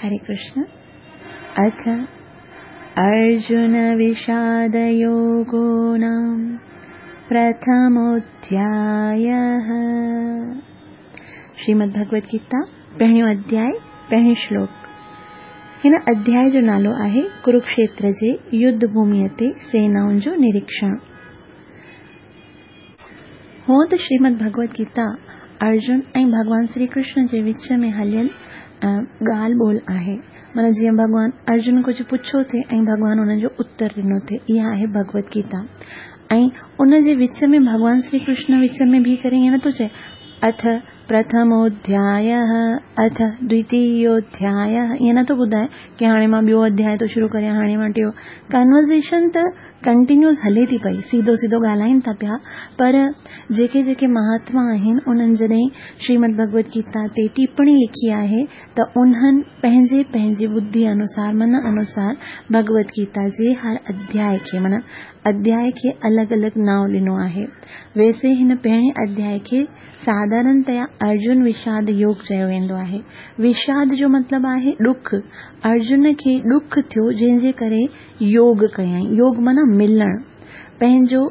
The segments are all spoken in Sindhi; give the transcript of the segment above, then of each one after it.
هري ڪرشن اٿ ارجن وشاد يوگو نام پرٿموڌيايه. شريمد ڀڳوت گيتا پهريون اڌياء پهريون شلوڪ. هن اڌياء جو نالو آهي ڪروڪشيتر جي يڌ ڀوميء تي سينائن جو نريڪشڻ. هونء ته شريمد ڀڳوت گيتا ارجن ۽ ڀڳوان شري ڪرشن جي وچ ۾ هليل ڳالهه ٻولهه آهي. معنيٰ جيئن ڀڳوان ارجن ڪجهه پڇيو ٿي ۽ ڀڳوان ان جو اتر ڏنو ٿي. اها آهي ڀڳوت گيتا. ۽ ان جي وچ ۾ ڀڳوان شري ڪرشن وچ ۾ بيهي ڪري ائين نٿو چئي اٿ پرٿموڌيايه اٿ دويتيوڌيايه ائين نٿو ٻڌائي ڪي هاڻي مان ٻيو اڌياء ٿو شروع ڪريان هاڻي مان ٽيون. ڪنورزيشن ته ڪنٽينيوس هلي ٿي پئي، سيڌو سيڌو ڳالهائين ٿا پيا، پر جيڪي جيڪي مهاتما آهن انهن جڏهن شريمد ڀڳوت گيتا تي ٽيپڻي لکي آهي ته انهن پنهنجي پنهنجي ٻڌي انوسار من انوسار ڀڳوت گيتا جي هر اڌياء کي معنيٰ اڌياء کي الڳ الڳ نانء ڏنو آهي. ويسي هن پهرين اڌياء کي ساڌارڻتيا ارجن وشاد يوگ چيو ويندو آهي. وشاد جو مطلب آهي ڏک. ارجن کي ڏک ٿيو جنهن جي ڪري يوگ ڪيائين. يوگ معنيٰ ملڻ. پنهنجو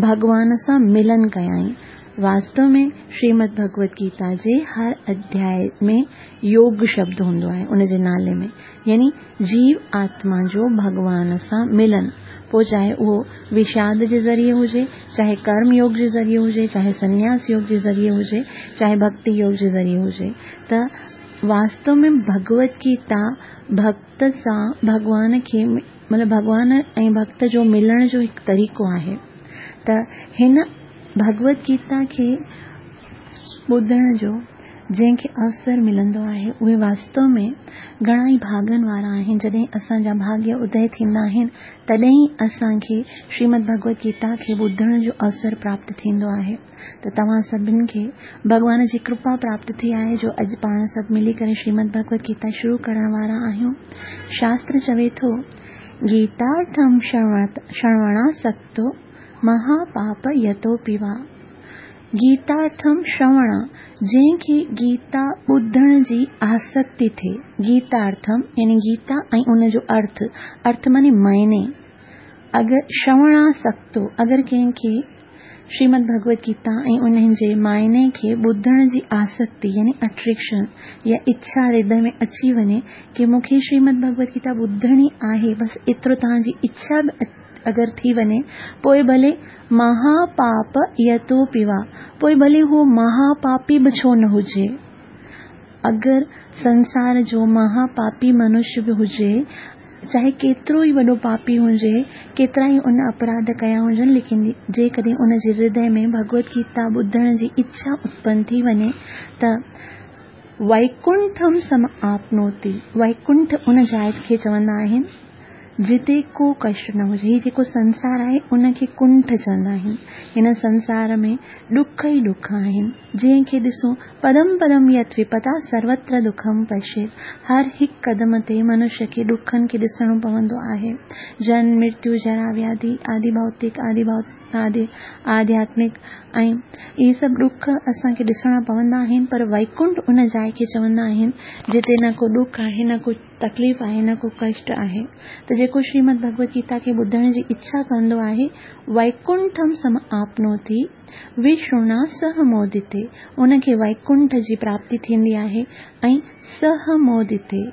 ڀڳوان سان ملن ڪيائين. واستو ۾ شريمد ڀڳوت گيتا جي هر اڌياء ۾ يوگ شبد هوندو آهي ان جي نالي ۾ يعني جيو آتما جو ڀڳوان سان ملن پوء چاهي اهو وشاد جي ذريعي هجي، چاهي ڪرم يوگ جي ذريعي هجي، چاهي سنياس يوگ جي ذريعي هجي، چاهي ڀڳتي يوگ جي ذريعي هجي ته واستو ۾ ڀڳوت گيتا ڀڳت سان ڀڳوان کي مطلب ڀڳوان ۽ ڀڳت جو ملڻ جو هڪ طريقو آهي ته هن ڀڳوت گيتا کي ٻڌڻ جو جنهن کي اوسر ملندو آهي اهي واستو ۾ گهڻا ئي ڀاڳن وارا آهن. جڏهن اسان جا ڀاڳيه ادي ٿيندا آهن تڏهن ئي اسان کي شريمد ڀڳوت گيتا کي ٻڌڻ جو اوسر پراپت ٿيندو آهي. ته توهان سڀن کي ڀڳوان جي ڪرپا پراپت ٿي آهي جو اڄ پاڻ سڀ ملي ڪري شريمد ڀڳوت گيتا شروع ڪرڻ وارا آهيون. شاستر چوي ٿو، گيتارٿم شروڻاسڪتو مها پاپ يتوپي وا. گيتارٿم شروڻا، جنهن کي گيتا ٻڌڻ جي آسڪتي ٿئي. گيتارٿم يعني گيتا ۽ ان جو ارٿ، ارٿ معني معني. اگر شروڻاسڪتو، اگر ڪنهن کي شريمد ڀڳوت گيتا ۽ انهن جي معني کي ٻڌڻ جي آسڪتي يعني اٽريڪشن يا اڇا هردي ۾ اچي وڃي ڪي مون کي شريمد ڀڳوت گيتا ٻڌڻي آهي بس ايترو توهان جي اڇا به اگر ٿي وڃي پوء ڀلي مها پاپ يتوپي وا پوء ڀلي هو مها پاپي به ڇو نه هجي اگر سنسار جو مها پاپي منش به هجي چاهي ڪيترو ئي وڏو پاپي هجي، ڪيترا ئي ان اپراڌ ڪيا هجن، ليڪن جيڪڏهن ان جي هردي ۾ ڀڳوت گيتا ٻڌڻ جي اڇا اتپن ٿي وڃي ته ويڪنٺم سم آپنوتي، ويڪنٺ ان جاء کي چوندا آهن جتي ڪو ڪشٽ نه هجي، هي جيڪو سنسار آهي ان کي ڪنٺ چوندا آهن، هن سنسار ۾ ڏک ئي ڏک آهن. جنهن کي ڏسون پدم پدم يت وپتا سروتر دکم پشيت هر هڪ قدم تي منش کي ڏکن کي ڏسڻو پوندو آهي. جنم، مرتيو، جرا، وياڌي، آدي ڀوتڪ، آدي آدي آڌياتمڪ ۽ اهي سڀ ڏک اسان کي ڏسڻا پوندا آهن پر ويڪنٺ ان جاء کي چوندا آهن جتي نه ڪو ڏک آهي نه ڪو تڪليف آهي نه ڪو ڪشٽ آهي ته جيڪو شريمد ڀڳوت گيتا کي ٻڌڻ جي اڇا ڪندو آهي ويڪنٺم سم آپنوتي وشڻا سه مودتي، ان کي ويڪنٺ جي پراپتي ٿيندي آهي ۽ سه مودتي،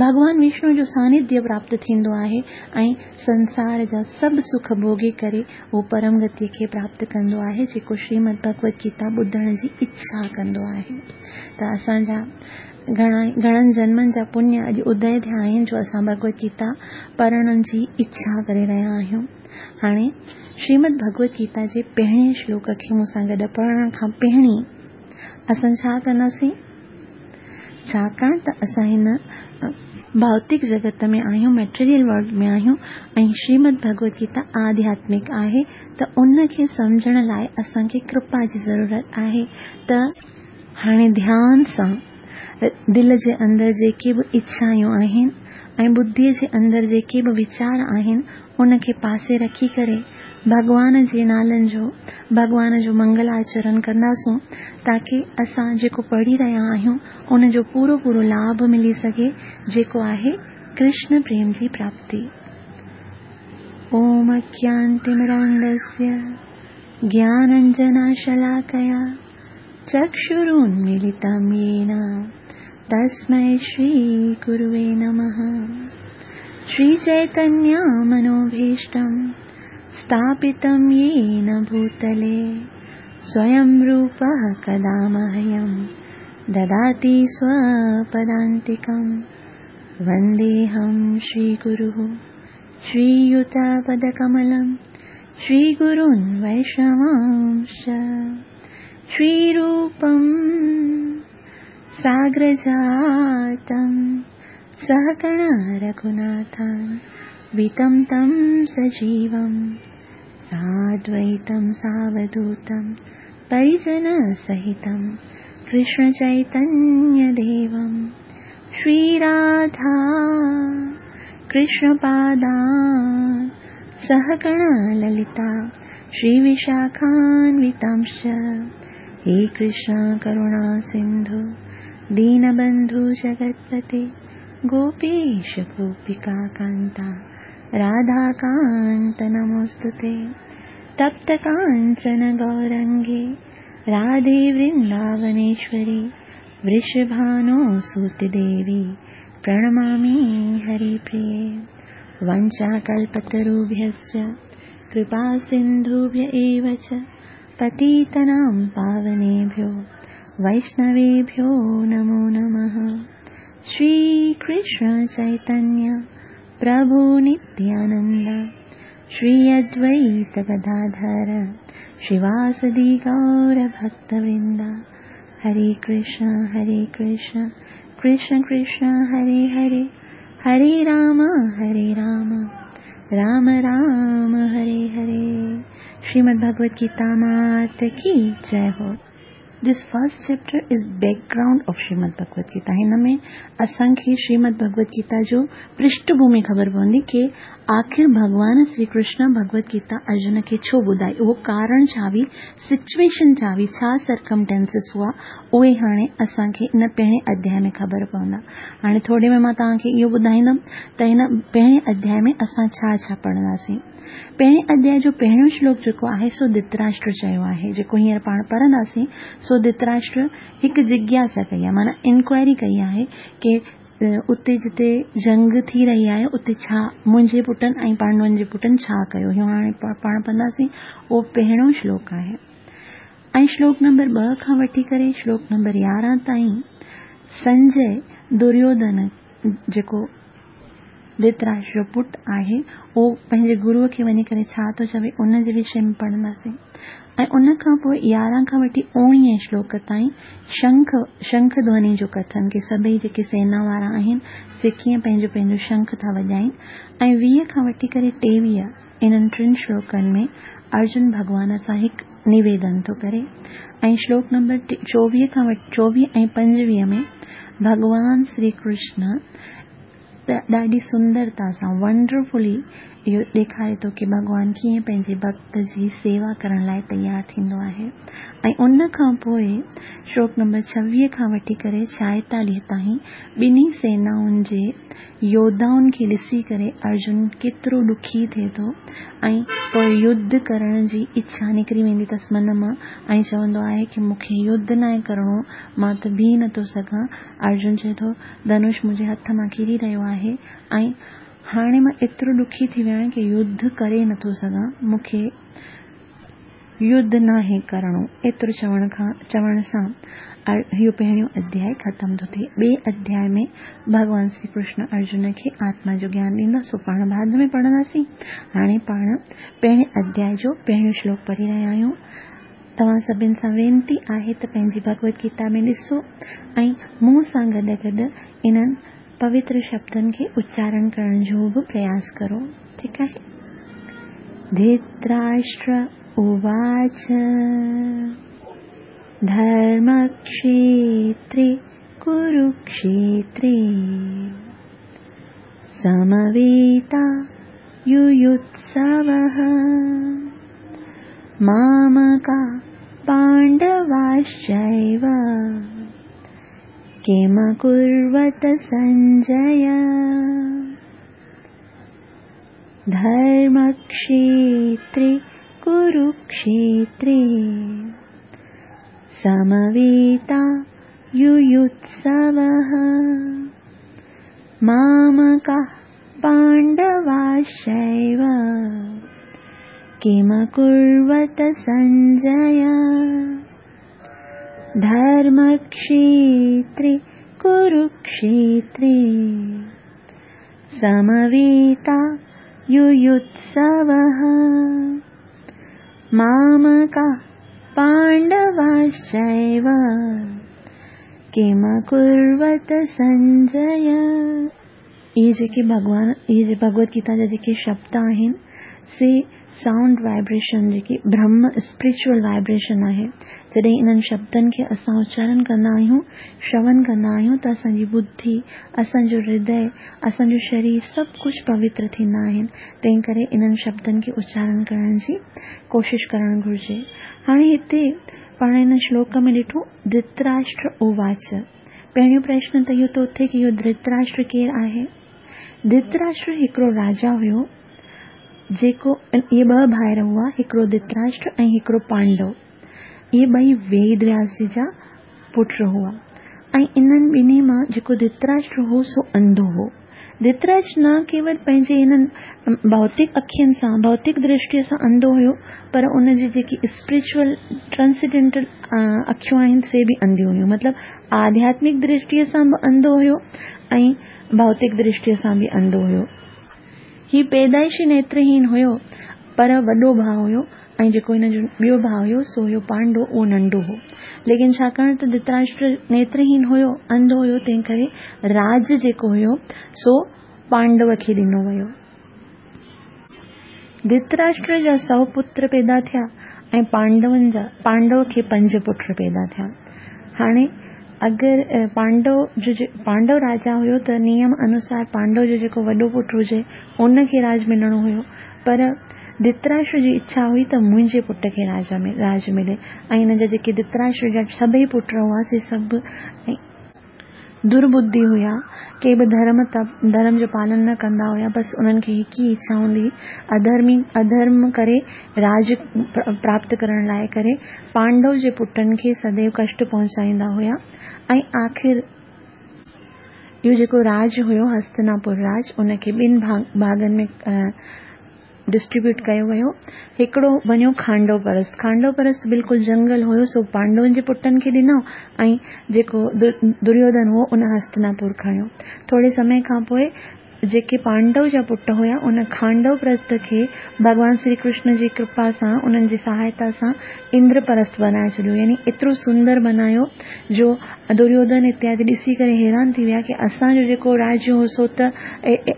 ڀڳوان وشنو جو سانيڌيه پراپت ٿيندو آهي ۽ سنسار جا سڀ سک ڀوڳي ڪري اهو پرم گتيء کي پراپت ڪندو آهي جيڪو شريمد ڀڳوت گيتا ٻڌڻ جي اڇا ڪندو آهي ته اسان جا گهڻا گهڻن جنمن جا پڃ اڄ ادي ٿيا آهن جو اسان ڀڳوت گيتا پڙهڻ جي اڇا ڪري رهيا آهيون. هاڻي شريمد ڀڳوت گيتا جي پهرين شلوڪ کي مون سان گڏ پڙهڻ کان پهرين اسان ڇا ڪنداسين؟ ڇاڪاڻ ته اسان هن ڀوتڪ جڳت ۾ آهيون، ميٽيريل ورلڊ ۾ آهيون ۽ شريمد ڀڳوت گيتا آڌياتمڪ آهي ته ان کي سمجهڻ لاء اسان کي ڪرپا جي ضرورت آهي ته هاڻي ڌيان سان دل جي اندر جيڪي به اڇائون آهن ۽ ٻڌيء جي اندر جيڪي به ويچار آهن ان کي پاسي رکي ڪري ڀڳوان جي نالن جو، ڀڳوان جو منگل آچرڻ ڪنداسون تاڪه اسان جيڪو پڙهي رهيا آهيون ان جو پورو پورو لاڀ ملي سگهي جيڪو آهي ڪرشن پريم جي پراپتي. اوم اجنانتمرانڌسيه گيانانجنشلاڪيا چڪشرونميلتم يين تسمي شري گروي نمه. شري چيتنيه منوڀيشٽم اسٿاپتم يين ڀوتلي سويم روپه ڪدا مهيم دداتي سوپدانتڪم. ونديهم شري گروه شري يوتپدڪملم شري گرون ويشنوانش شري روپم ساگرجاتم سهگڻ رگهوناٿم وتم تم سجيوم سادويتم ساوڌوتم پريجن سهتم ڪرشن چيتنيه ديوم شري راڌا ڪرشن پادان سهگڻ للتا شري وشاکانوتمش. هي ڪرشن ڪروڻا سنڌو دينبنڌو جگتپتي گوپيش گوپيڪا ڪانتا راڌا ڪانت نموستتي. تپت ڪانچن گورانگي راڌي ورنداونيشوري ورشڀانو سوت ديوي پرڻمامي هري پريي. ونچا ڪلپتروڀيشچ ڪرپا سنڌوڀي ايو چ پتيتنام پاونيڀيو ويشنويڀيو نمو نمه. شري ڪرشن چيتنيه پرڀو نتيانند شري ادويت گداڌر شريواسدي گور ڀڪت ورند. هري ڪرشن هري ڪرشن ڪرشن ڪرشن هري هري هري رام هري رام رام رام هري هري. شريمد ڀڳوت گيتا مات ڪي جئي هو. This first chapter is background of Shrimad Bhagavad Gita. هن ۾ اسان کي شريمد ڀڳوت گيتا جو پرشٺ ڀومي خبر پوندي ڪي آخر ڀڳوان شري ڪرشن ڀڳوت گيتا ارجن کي ڇو ٻڌائي، اهو ڪارڻ ڇا هئي، سچويشن ڇا هئي، ڇا سرڪمٽينسز هئا، اهي هاڻي اسان کي ان پهرين اڌياء ۾ خبر پوندا. هاڻي ٿوري ۾ مان توهان کي اهو ٻڌائيندم ته هن پهرين اڌياء ۾ اسان ڇا ڇا پڙهنداسين. پهرين اڌياء جو پهريون شلوڪ جيڪو آهي سو ڌتراشٽر چيو آهي، جيڪو هينئر پاڻ پڙهنداسين. سو ڌتراشٽر هڪ جگياسا ڪئي آهي، معنيٰ انڪوائري ڪئي آهي ڪي اتي جتي جنگ ٿي رهي آهي اتي ڇا منهنجي پٽن ۽ پانڊون جي پٽن ڇا ڪيو. اهو هاڻي پاڻ پڙهنداسين، اهو پهريون شلوڪ آهي. ۽ شلوڪ نمبر 2 کان وٺي ڪري شلوڪ نمبر 11 تائين سنجي دريوڌن جيڪو ڌتراشٽر جو پٽ آهي اهو پنهنجي گروء کي وڃي ڪري ڇا ٿو چوي ان جي وشي ۾ پڙهنداسين. ۽ ان کان پوء 11 کان وٺي 19 شلوڪ تائين شنک ڌوني جو ڪٿن ڪي سڀئي جيڪي سينا وارا آهن سي ڪيئن پنهنجو پنهنجو شنک ٿا وڄائين. ۽ 20 کان وٺي ڪري 23 انهن ٽن شلوڪن ۾ ارجن ڀڳوان سان هڪ نويدن ٿو ڪري. ۽ شلوڪ نمبر 24 کان وٺي 24 ۽ 25 ۾ ڀڳوان شري ڪرشن ڏاڍي سندرتا سان ونڊرفلي اهو ڏيکاري ٿو ڪي ڀڳوان ڪيئن پنهنجي ڀڪت جي سيوا ڪرڻ لاءِ تيار ٿيندو آهي. ۽ ان کان پوءِ شلوڪ نمبر 26 کان وٺي ڪري 46 تائين ٻنهي سينائن جي يوڌائن کي ڏسي ڪري ارجن ڪيترو ڏکي ٿئي ٿو ۽ پوءِ يڌ ڪرڻ جي اڇا نڪري ويندي اٿس من مان ۽ چوندو آهي ڪي مون کي يڌ ناهي ڪرڻو، مان ته بيهي نٿو سگهان. ارجن چئي ٿو ڌنش منهنجي هٿ مان ڪري رهيو آهي ۽ هاڻي مان ايترو ڏکي ٿي ويو آهيان ڪي يڌ ڪري نٿو سگهان، مون کي يڌ ناهي ڪرڻو. ايترو چوڻ سان اهو پهريون اڌياء ختم ٿو ٿئي. ٻئي اڌياء ۾ ڀڳوان شري ڪرشن ارجن کي آتما جو گيان ڏيندا، سو پاڻ بعد ۾ پڙهنداسين. هاڻي پاڻ پهرين اڌياء جو پهريون شلوڪ پڙهي رهيا آهيون. توهان سڀني سان وينتي آهي ته پنهنجي ڀڳوت گيتا ۾ ڏسو ۽ مون سان گڏ گڏ انهن پوتر شبدن کي اچارڻ ڪرڻ جو به پرياس ڪرو. ٺيڪ آهي. ڌتراشٽر اواچ ڌرمڪشيتري ڪروڪشيتري سمويتا يويوتسوه मामका पाण्डवाश्चैव किमकुर्वत सञ्जय। धर्मक्षेत्रे कुरुक्षेत्रे समवेता युयुत्सवः। मामकाः पाण्डवाश्चैव किमकुर्वत सञ्जय। धर्मक्षेत्रे कुरुक्षेत्रे समवेता युयुत्सवः। मामकाः पाण्डवाश्चैव किमकुर्वत सञ्जय। इहे जेके भॻवान, इहे जे भगवत गीता जा जेके शब्द आहिनि से साउंड वाइब्रेशन जेकी ब्रह्म स्पिरिचुअल वाइब्रेशन आहे। जॾहिं इन्हनि शब्दनि खे असां उच्चारण कंदा आहियूं, श्रवण कंदा आहियूं त असांजी बुद्धि, असांजो हृदय, असांजो शरीर सभु कुझु पवित्र थींदा आहिनि। तंहिं करे इन्हनि शब्दनि खे उच्चारण करण जी कोशिशि करणु घुरिजे। हाणे हिते पाण हिन श्लोक में ॾिठो धृतराष्ट्र उवाच। पहिरियों प्रश्न त इहो थो थिए की इहो धृतराष्ट्र केरु आहे? धृतराष्ट्र हिकिड़ो राजा हुयो जेको, इहे ॿ भाइर हुआ, हिकिड़ो धृतराष्ट्र ऐं हिकिड़ो पांडव। इहे ॿई वेद व्यास जी जा पुट हुआ ऐं इन्हनि ॿिन्ही मां जेको धृतराष्ट्र हो सो अंधो हो। धृतराष्ट्र न केवल पंहिंजे हिननि भौतिक अखियुनि सां, भौतिक दृष्टीअ सां अंधो हुयो, पर उन जी जेकी स्पिरिचुअल ट्रांसेंडेंटल अखियूं आहिनि से बि अंधियूं हुयूं। मतिलबु आध्यात्मिक दृष्टीअ सां बि अंधो हुयो ऐं भौतिक दृष्टीअ सां बि अंधो हुयो। ही पैदाइशी नेत्रहीन हुयो, पर वॾो भाउ हुयो ऐं जेको हिन जो ॿियो भाउ हुयो सो हुयो पांडो, उहो नंढो हो। लेकिन छाकाणि त धृतराष्ट्र नेत्रहीन हुयो, अंधो हुयो, तंहिं करे राज जेको हुयो सो पांडव खे ॾिनो वियो। धृतराष्ट्र जा 100 पुत्र पैदा थिया ऐं पांडव खे 5 पुट पैदा थिया। हाणे अगरि पांडव राजा हुयो त नियम अनुसार पांडव जो जेको वॾो पुट हुजे उनखे राज मिलणो हुयो, पर धृतराष्ट्र जी इच्छा हुई त मुंहिंजे पुट खे राज मिले। ऐं हिन जा जेके धृतराष्ट्र जा सभई पुट हुआ से सभु दुर्बुद्धि हुया, के बि धर्म जो पालन न कंदा हुया, बसि उन्हनि खे हिकु ई इच्छा हूंदी हुई अधर्म करे राज प्राप्त करण लाइ करे पांडव जे पुटनि खे सदैव कष्ट पहुचाईंदा हुया। ऐं आख़िर इहो जेको राज हुयो हस्तिनापुर राज, उनखे ॿिनि भाॻनि में डिस्ट्रीब्यूट कयो वियो। हिकिड़ो वञो खांडव परस्त, खांडव परस्त बिल्कुलु जंगल हुयो, सो पांडवनि जे पुटनि खे ॾिनो ऐं जेको दुर्योधन हुओ उन हस्तिनापुर खणियो। थोरे समय खां पोइ जेके पांडव जा पुट हुया उन खांडव परस्त खे भॻवान श्री कृष्ण जी कृपा सां, उन्हनि जी सहायता सां इंद्रपरस्त बनाए छॾियो। यानी एतिरो सुंदर बनायो जो दुर्योधन इत्यादि ॾिसी करे हैरान थी विया की असांजो जेको राज्य हो सो त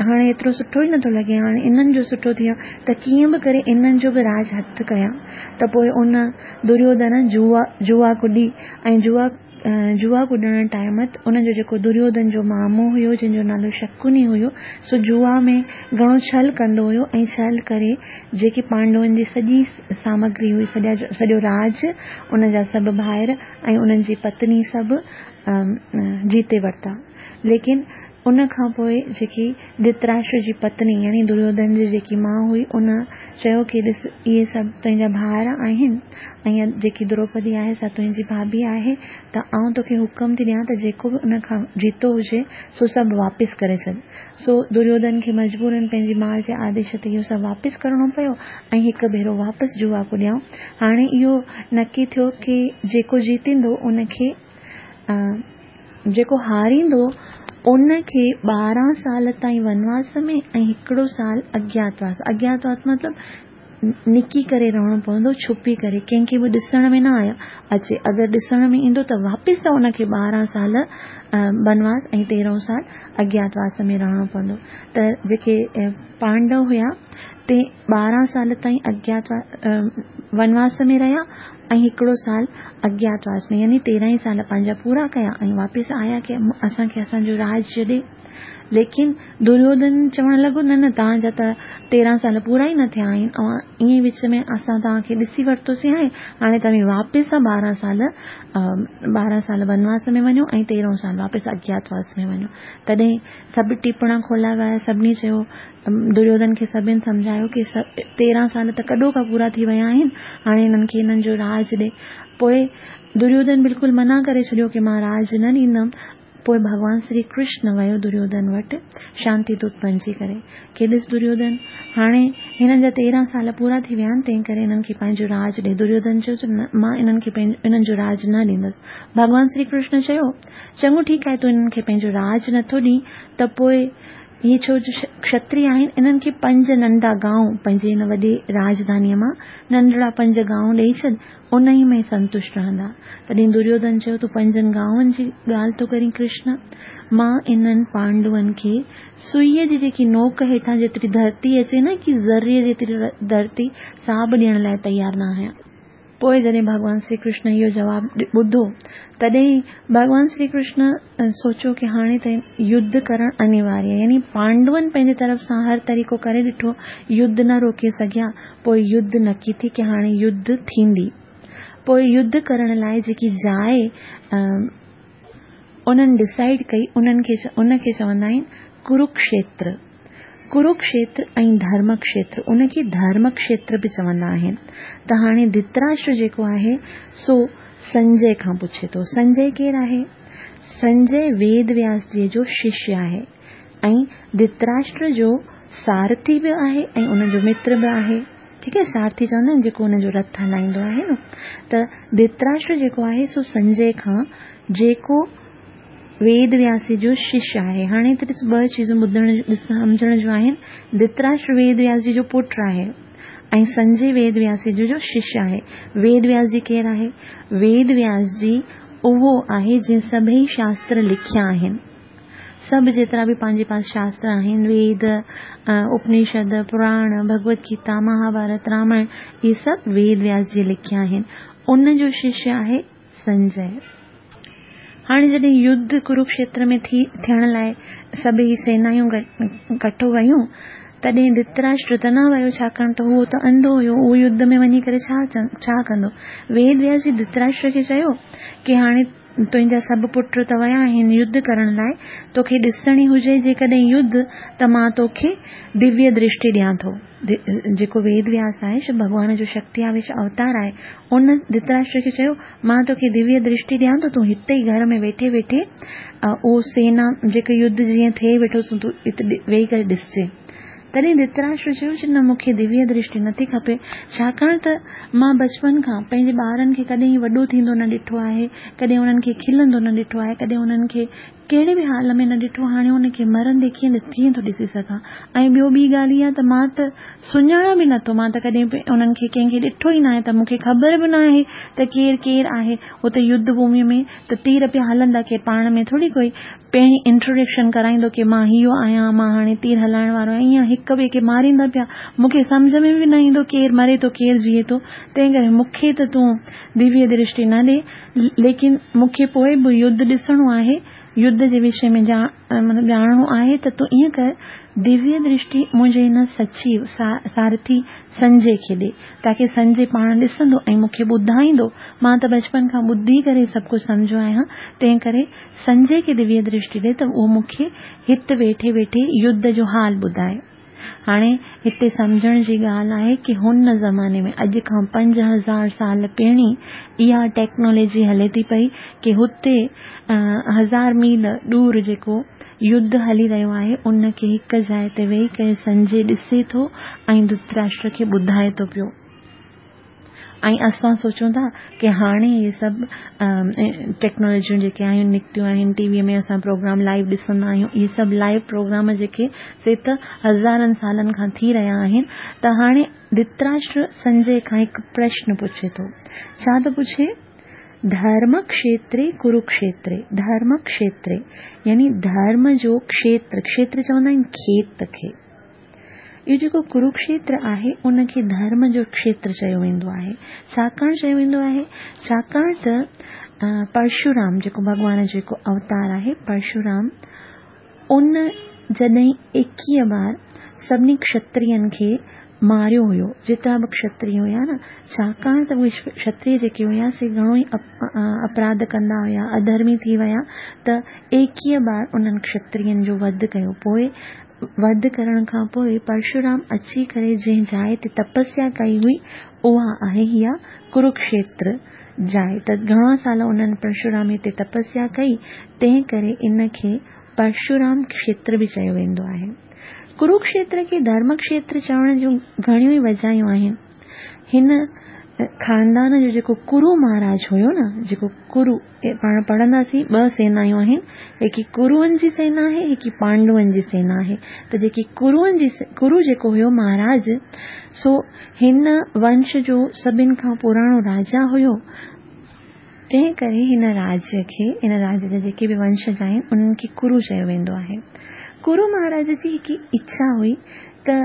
हाणे एतिरो सुठो ई नथो लॻे, हाणे इन्हनि जो सुठो थी वियो त कीअं बि करे इन्हनि जो बि राज हथु कयां। त पोइ उन दुर्योधन जुआ कुॾी ऐं जुआ कुॾण टाइम त उनजो जेको दुर्योधन जो मामो हुयो जंहिंजो नालो शकुनी हुयो, सो जुआ में घणो छल कंदो हुयो ऐं छल करे जेके पांडवनि जी सॼी सामग्री हुई, सॼो राज, उनजा सभु भाइर ऐं उन्हनि जी पत्नी सभु जीते वरिता। लेकिन उन खां पोइ जेकी धृतराष्ट्र जी पत्नी यानी दुर्योधन जी जेकी माउ हुई, उन चयो की ॾिस इहे सभु तुंहिंजा भाइर आहिनि ऐं जेकी द्रौपदी आहे सा तुंहिंजी भाभी आहे, त आउं तोखे हुकुम थी ॾियां त जेको बि उन खां जीतो हुजे सो सभु वापसि करे छॾ। सो दुर्योधन खे मजबूरन पंहिंजी माउ जे आदेश ते इहो सभु वापसि करिणो पियो ऐं हिकु भेरो वापसि जुआ कुॾियऊं। हाणे इहो नक्की थियो की जेको जीतींदो उनखे, जेको हारींदो उनखे 12 साल ताईं वनवास में ऐं हिकिड़ो साल अज्ञातवास, अज्ञातवास मतिलबु निकी करे रहणो पवंदो, छुपी करे, कंहिंखे बि ॾिसण में न आया अचे, अगरि ॾिसण में ईंदो त वापसि उनखे 12 साल वनवास ऐं 13 साल अज्ञातवास में रहणो पवंदो। त जेके पांडव हुया ते 12 साल ताईं अज्ञातवास वनवास में रहिया ऐं हिकिड़ो साल अज्ञातवास में, यानी 13 ई साल पंहिंजा पूरा कया ऐं वापसि आया की असांखे असांजो राज ॾे। लेकिन दुर्योधन चवण लॻो न न तव्हांजा त 13 سال پورا ئي نه ٿيا آهن، اوهان ائين ئي وچ ۾ اسان توهان کي ڏسي ورتوسين آهي، هاڻي توهين واپس 12 سال 12 سال ونواس ۾ وڃو ۽ تيرهون سال واپس اجياتواس ۾ وڃو. تڏهن سڀ ٽيپڻا کولا ويا، سڀني چيو، دريوڌن کي سڀن سمجهايو ڪي 13 سال ته ڪڏهوڪا پورا ٿي ويا آهن، هاڻي هنن کي هنن جو راڄ ڏي. پوء دريوڌن بلڪل منع ڪري ڇڏيو ڪي مان راڄ نه ڏيندم. پوء ڀڳوان سري ڪرشن ويو دريوڌن وٽ شانتي دوت بنجي ڪري ڪي ڏس دريوڌن هاڻي هنن جا 13 سال پورا ٿي ويا آهن تنهن ڪري هنن کي پنهنجو راڄ ڏي. دريوڌن چيو ته نه مان انهن کي انهن جو راڄ نه ڏيندس. ڀڳوان سري ڪرشن چيو چڱو ٺيڪ آهي تون انهن کي پنهنجو راڄ نٿو ڏين ته پوء هي ڇو جو کشتري آهن انهن کي پنج ننڍا گانء پنهنجي هن وڏي راڄڌانيء مان ننڍڙا پنج گانء ڏيئي ڇڏ انهيء ۾ سنتشٽ رهندا. تڏهن دريوڌن چيو، تون پنجن گانون جي ڳالهه ٿو ڪرين ڪرشن! مان انهن پانڊون کي سئيء جي جيڪي نوڪ هيٺان جيتري ڌرتي اچي نه ڪي ذري جيتري ڌرتي سا به ڏيڻ لاء تيار نه آهيان. پوء جڏهن ڀڳوان سري ڪرشن اهو جواب ٻڌو، تڏهن ڀڳوان سري ڪرشن سوچيو ڪي هاڻي ته يڌ ڪرڻ انيواريه آهي. يعني پانڊون پنهنجي طرف سان هر طريقو ڪري ڏٺو، يڌ نه روڪي سگهيا، پوء يڌ نڪي ٿي ڪي هاڻي يڌ ٿيندي. پوء يڌ ڪرڻ لاء جيڪي جاء انهن ڊسائيڊ ڪئي انهن کي ان کي چوندا آهن ڪروڪشيتر. ڪروڪشيتر ۽ ڌرمڪشيتر ان کي ڌرمڪشيتر به چوندا آهن. ته هاڻي ڌتراشٽر جيڪو آهي سو سنجي کان پڇي ٿو. سنجي ڪير آهي؟ سنجي ويد وياس جي جو ششيه آهي ۽ ڌتراشٽر جو سارٿي به آهي ۽ ان جو متر به آهي. ٺيڪ آهي سارٿي چوندا آهن جيڪو ان جو رٿ هلائيندو آهي نه. ته ڌتراشٽر جيڪو آهي سو سنجي کان جيڪو ويد وياس جو شش آهي. هاڻي هتي ڏس ٻه چيزون ٻڌڻ سمجهڻ جون آهن. ڌتراشٽر ويد وياس جي جو پٽ آهي ۽ سنجي ويد وياس جي جو شش آهي. ويد وياس جي ڪير آهي؟ ويد وياس جي اهو آهي جنهن سڀئي شاستر لکيا آهن. سڀ جيترا به پنهنجي پاس شاستر آهن، ويد، اپنشد، پراڻ، ڀڳوت گيتا، مهاڀارت، رامائڻ، اهي سڀ ويد وياس جي لکيا آهن. ان جو شش آهي سنجي. هاڻي جڏهن يڌ ڪروڪشيتر ۾ ٿي ٿيڻ لاء سڀئي سينايون ڪٺو ويون، تڏهن ڌتراشٽر ته نه ويو، ڇاڪاڻ ته هو ته انڌو هيو، اهو يڌ ۾ وڃي ڪري ڇا ڇا ڪندو؟ ويد وياس جي ڌتراشٽر کي چيو ڪي هاڻي تنهنجا سڀ پٽ ته ويا آهن يڌ ڪرڻ لاء، توکي ڏسڻي هجي جيڪڏهن يڌ ته مان توکي دويه درشٽي ڏيان ٿو. جيڪو ويد وياس آهي، شو ڀڳوان جو شڪتي آويش اوتار آهي، ان ڌتراشٽر کي چيو، مان توکي دويه درشٽي ڏيان ٿو، تون هتي ئي گهر ۾ ويٺي ويٺي اهو سينا جيڪو يڌ جيئن ٿئي ويٺو سو تون هت ويهي ڪري ڏسجي. تڏهن ڌتراشٽر چيو چې نه مون کي دويه درشٽي نٿي کپي، ڇاڪاڻ ته مان بچپن کان پنهنجي ٻارن کي ڪڏهن وڏو ٿيندو نه ڏٺو آهي، ڪڏهن انهن کي کلندو نه ڏٺو آهي، ڪڏهن انهن کي ڪهڙي به حال ۾ نه ڏٺو، هاڻي ان کي مرندي ڪيئن ڪيئن ٿو ڏسي سگهان؟ ۽ ٻيو ٻي ڳالهه اها ته مان ته سڃاڻان به نٿو، مان ته ڪڏهن به انهن کي ڪنهن کي ڏٺو ئي ناهي ته مون کي خبر به ناهي ته ڪير ڪير آهي. هتي يڌ ڀوميء ۾ ته تير پيا هلندا، ڪير پاڻ ۾ ٿوري ڪوئي پهرين انٽروڊڪشن ڪرائيندو ڪي مان اهو آهيان، مان هاڻي تير هلائڻ وارو آهيان، ايئن هڪ ٻئي کي ماريندا پيا، مون کي سمجهه ۾ به نه ايندو ڪير مري ٿو ڪير جيئي ٿو، تنهن ڪري مون کي ته تون دويه درشٽي نه ڏي. ليڪن مون کي پوء به يڌ ڏسڻو آهي، يڌ جي وشي ۾ مطلب ڄاڻڻو آهي ته تون ائين ڪر، دويه درشٽي منهنجي هن سچيو، سارٿي، سنجي کي ڏي، تاڪه سنجي پاڻ ڏسندو ۽ مون کي ٻڌائيندو، مان ته بچپن کان ٻڌي ڪري سڀ ڪجهه سمجهيو آهيان، تنهن ڪري سنجي کي دويه درشٽي ڏي ته اهو مون کي هت ويٺي ويٺي يڌ جو حال ٻڌائي. هاڻي هتي سمجهڻ جي ڳالهه آهي ڪي هن زماني ۾ اڄ کان 5000 سال پهرين اها ٽيڪنالاجي هلي ٿي پئي ڪي هتي هزار ميل ڏور جيڪو يڌ هلي رهيو آهي ان کي هڪ جاء تي ويهي ڪري سنجي ڏسي ٿو ۽ ڌتراشٽر کي ٻڌائي ٿو پيو. ۽ اسان سوچون ٿا ڪي هاڻي اهي سڀ ٽيڪنالاجيون جيڪي آهن نڪتيون آهن ٽي وي ۾ اسان پروگرام لائيو ڏسندا آهيون اهي سڀ لائيو پروگرام جيڪي سي ته هزارن سالن کان ٿي رهيا آهن ته هاڻي ڌتراشٽر سنجي کان هڪ پرشن پڇي ٿو ڇا ٿو پڇي ڌرم کشيتري ڪروڪشيتري ڌرم کشيتري يعني ڌرم جو کشيتر کشيتر چوندا آهن کيت کي اهو جيڪو ڪروڪشيتر آهي ان کي ڌرم جو کشيتر چيو ويندو آهي. ڇاڪاڻ چيو ويندو آهي؟ ڇاڪاڻ ته پرشورام جيڪو ڀڳوان جو هڪ اوتار آهي پرشورام ان جڏهن 21 بار سڀني ڪشترين کي ماريو هيو، جيترا به ڪشتري هيا نه، ڇاڪاڻ ته اهي ڪشتري جيڪي هيا سي گهڻو ئي اپراڌ ڪندا هيا، اڌرمي ٿي ويا ته ايڪيهه بار انهن ڪشترين جو وڌ ڪيو. پوء وڌ ڪرڻ کان پوء پرشورام اچي ڪري جنهن جاء تي تپسيا ڪئي هئي اها آهي اها ڪروڪشيتر جاء ته گهڻا سال انهن پرشورام هتي تپسيا ڪئي تنهن ڪري ان کي پرشورام کشيتر به چيو ويندو آهي. ڪروڪشيتر کي ڌرم کشيتر چوڻ جون گهڻيون ئي وجهايون آهن. هن خاندان جو جيڪو ڪرو مهاراج هيو نه، جيڪو ڪرو، پاڻ پڙهنداسين ٻه سينايون آهن، هڪي ڪروئن جي سينا آهي، هڪي پانڊون جي سينا آهي. ته جيڪي ڪروئن جي، ڪرو جيڪو هيو مهاراج، سو هن ونش جو سڀن کان پراڻو راجا هيو. تنهن ڪري هن راڄ کي، هن راڄ جا جيڪي به ونشج آهن، انهن کي ڪرو چيو ويندو آهي. ڪرو مهاراج جي هڪ اڇا هئي ته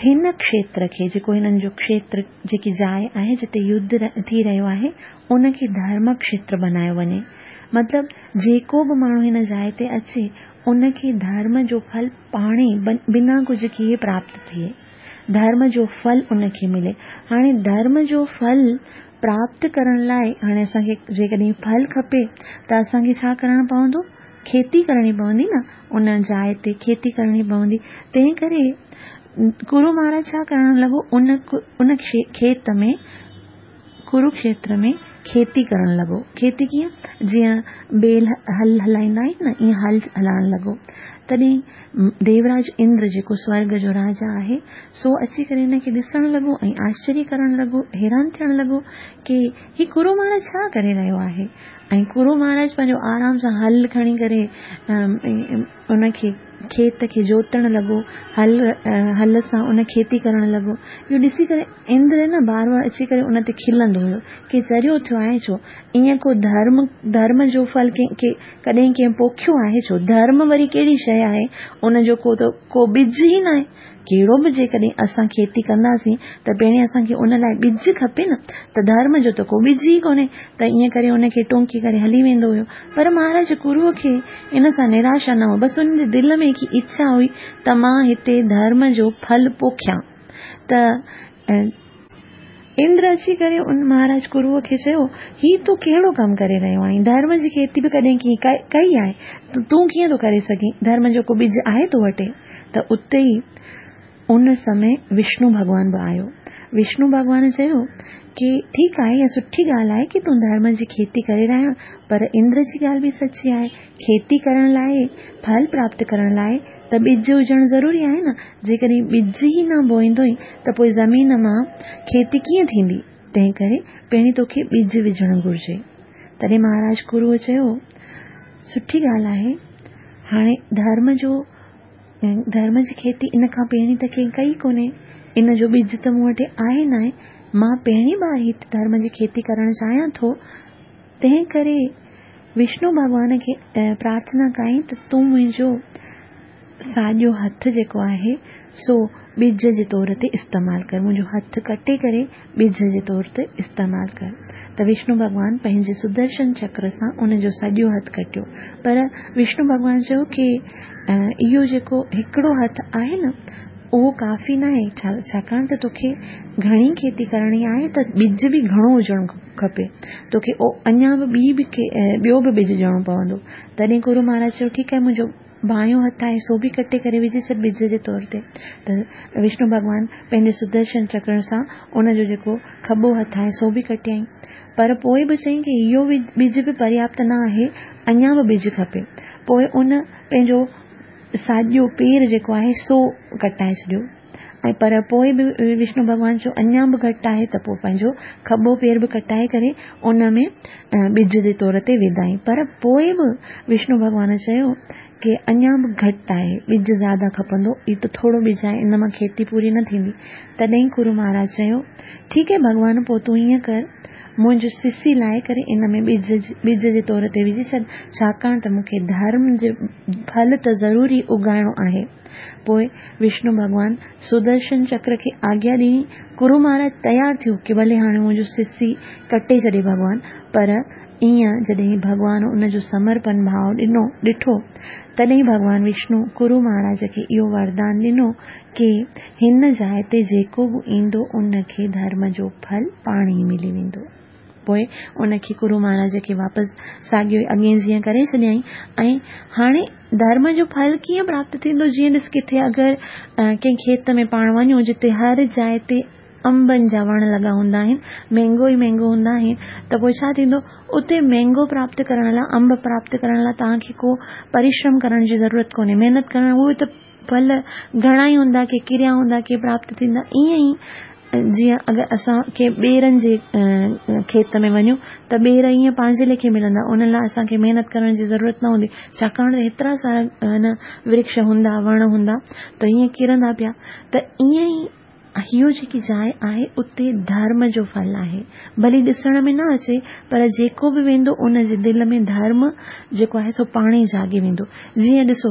هن کشيتر کي، جيڪو هنن جو کشيتر، جيڪي جاء آهي، جتي يڌ ٿي رهيو آهي، ان کي ڌرم کشيتر بنايو وڃي. مطلب جيڪو به ماڻهو هن جاء تي اچي، ان کي ڌرم جو ڦل پاڻهي بنا ڪجهه ڪيئي پراپت ٿئي. ڌرم جو ڦل ان کي ملي. هاڻي ڌرم جو ڦل پراپت ڪرڻ لاء هاڻي اسان کي جيڪڏهن ڦل کپي ته اسان کي ڇا ڪرڻو پوندو؟ کيتي ڪرڻي پوندي نه، ان جاء تي کيتي ڪرڻي پوندي. تنهن ڪري ڪرو مهاراج ڇا ڪرڻ لڳو، ان ان کيت ۾ ڪروڪشيتر ۾ کيتي ڪرڻ لڳو. کيتي ڪيئن؟ جيئن بيل هل هلائيندا آهن نه، ائين هل هلائڻ لڳو. تڏهن ديوراج اندر جيڪو سورڳ جو راجا آهي، سو اچي ڪري هن کي ڏسڻ لڳو ۽ آشچريه ڪرڻ لڳو، حيران ٿيڻ لڳو ڪي هي ڪرو مهاراج ڇا ڪري رهيو آهي؟ ۽ ڪرو مهاراج پنهنجو آرام سان هل کڻي ڪري ان کي کيت کي جوتڻ لڳو، هل هل سان ان کيتي ڪرڻ لڳو. اهو ڏسي ڪري اندر نه بار بار اچي ڪري ان تي کلندو هيو ڪي چريو ٿيو آهين ڇو؟ ائين ڪو ڌرم ڌرم جو ڦل ڪنهن کي ڪڏهن ڪنهن پوکيو آهي ڇو؟ ڌرم وري ڪهڙي شيء آهي؟ ان جو ڪو ته ڪو ٻج ئي ناهي. ڪهڙو به جيڪڏهن اسان کيتي ڪنداسين ته پهرين اسان کي ان لاء ٻج کپي نه ته ڌرم جو ته ڪو ٻج ئي ڪونهي ته ائين ڪري ان کي ٽونڪي ڪري هلي ويندو هيو. پر مهاراج ڪروء کي ان سان نراشا نه هئي. بس ان جي دل ۾ هڪ اڇا هئي ته مان هتي ڌرم جو ڦل پوکيان ته اندر اچي ڪري ان مهاراج ڪروء کي چيو، هي تون ڪهڙو ڪم ڪري رهيو آهين؟ ڌرم جي کيتي به ڪڏهن ڪنهن ڪئي آهي؟ تون ڪيئن ٿو ڪري سگهين؟ ڌرم جو ڪو ٻج آهي تو وٽ؟ ته اتي ئي ان سمي وشنو ڀڳوان به آيو. وشنو ڀڳوان چيو ڪي ٺيڪ آهي اها سٺي ڳالهه آهي ڪي تون ڌرم جي کيتي ڪري رهيو آهين پر اندر جي ڳالهه به سچي آهي. کيتي ڪرڻ لاء، ڦل پراپت ڪرڻ لاء ته ٻج هجڻ ضروري آهي نه. جيڪڏهن ٻج ئي نه بوئيندوئين ته پوء زمين مان کيتي ڪيئن ٿيندي؟ تنهن ڪري پهرين توکي ٻج وجهڻ گهرجي. تڏهن مهاراج ڪروء چيو، سٺي ڳالهه آهي، هاڻي ڌرم جو ڌرم جي کيتي ان کان پهرين ته ڪنهن ڪئي ڪونهي، ان جو ٻج ته مون وٽ آهي ناهي، مان پهرين بار هت ڌرم جي کيتي ڪرڻ چاهيان ٿو، تنهن ڪري وشنو ڀڳوان کي پرارٿنا ڪيائين ته تون منهنجو ساڄو هٿ جيڪو آهي سو ٻج جي طور تي استعمال ڪر، منهنجو هٿ ڪٽي ڪري ٻج جي طور تي استعمال ڪر. ته وشنو ڀڳوان پنهنجي سدرشن چڪر سان ان جو سڄو هٿ ڪٽيو. پر وشنو ڀڳوان چيو ڪي اهو جيڪو هڪڙو هٿ آهي نه اهو ڪافي ناهي، ڇاڪاڻ ته توکي گهڻي کيتي ڪرڻي آهي ته ٻج به گهڻو هجڻ کپي، توکي اڃا به ٻي به ٻيو به ٻج ڏيڻو پوندو. تڏهن گرو مهاراج چيو ٺيڪ آهي منهنجو بانيو هٿ آهي سو به ڪٽي ڪري وجهي ڇڏ ٻج جي طور تي. ته وشنو ڀڳوان پنهنجي سدرشن چڪر سان ان جو جيڪو کٻو هٿ آهي سو به ڪٽيائين. پر پوء به چيائين ڪي اهو ٻج به پرياپت نه آهي اڃا به ٻج کپي. پوء ان پنهنجو ساڄو پير جيڪو آهي سو ڪٽائي ڇڏيو ۽ پر پوء به وشنو ڀڳوان چيو اڃا به گهٽ آهي ته پوء پنهنجو کٻو پير به ڪٽائي ڪري ان ۾ ٻج جي طور تي وڌائين پر پوء به وشنو ڀڳوان چيو ڪي اڃا به گهٽ آهي ٻج زياده کپندو هي ته ٿورو ٻج آهي ان مان کيتي پوري نه ٿيندي تڏهن ڪرو مهاراج چيو ٺيڪ آهي ڀڳوان پوء تون ائين ڪر منهنجو سسي لاهي ڪري ان ۾ ٻج ٻج جي طور تي وجهي ڇڏ، ڇاڪاڻ ته مون کي ڌرم جو ڦل ته ضرور ئي اگائڻو آهي. پوء وشنو ڀڳوان سدرشن چڪر کي آگيا ڏني. ڪرو مهاراج تيار ٿيو ڪي ڀلي هاڻي منهنجو سسي ڪٽي ڇڏي ڀڳوان، پر ائين جڏهن ڀڳوان ان جو سمرپن ڀاء ڏنو ڏٺو، تڏهن ڀڳوان وشنو ڪرو مهاراج کي اهو وردان ڏنو ڪي هن جاء تي جيڪو به ايندو ان کي ڌرم جو ڦل پاڻ ئي ملي ويندو. پوء ان کي ڪرو مهاراج کي واپس ساڳيو ئي اڳئين جيئن ڪري ڇڏيائين ۽ هاڻي ڌرم جو ڦل ڪيئن پراپت ٿيندو جيئن ڏس ڪٿي اگر ڪنهن کيت ۾ پاڻ وڃون جتي هر جاء تي انبن جا وڻ لڳا هوندا آهن، مينگو ئي مينگو هوندا آهن ته پوء ڇا ٿيندو اتي مينگو پراپت ڪرڻ لاء انب پراپت ڪرڻ لاء توهان کي ڪو پرشرم ڪرڻ جي ضرورت ڪونهي محنت ڪرڻ اهي ته ڦل گهڻا ئي هوندا ڪي ڪريا هوندا ڪي پراپت ٿيندا ائين ئي جيئن اگر اسان ڪنهن ٻيرن جي کيت ۾ وڃون ته ٻير ائين پنهنجي ليکي ملندا ان لاء اسان کي محنت ڪرڻ جي ضرورت نه هوندي ڇاڪاڻ ته هيترا سارا نه ورڪش هوندا وڻ هوندا ته ائين ڪرندا پيا ته ائين ئي اهو جيڪي جاء آهي اتي ڌرم جو ڦل آهي. ڀلي ڏسڻ ۾ نه اچي پر جيڪو به ويندو ان جي دل ۾ ڌرم جيڪو آهي سو پاڻ ئي جاڳي ويندو. جيئن ڏسو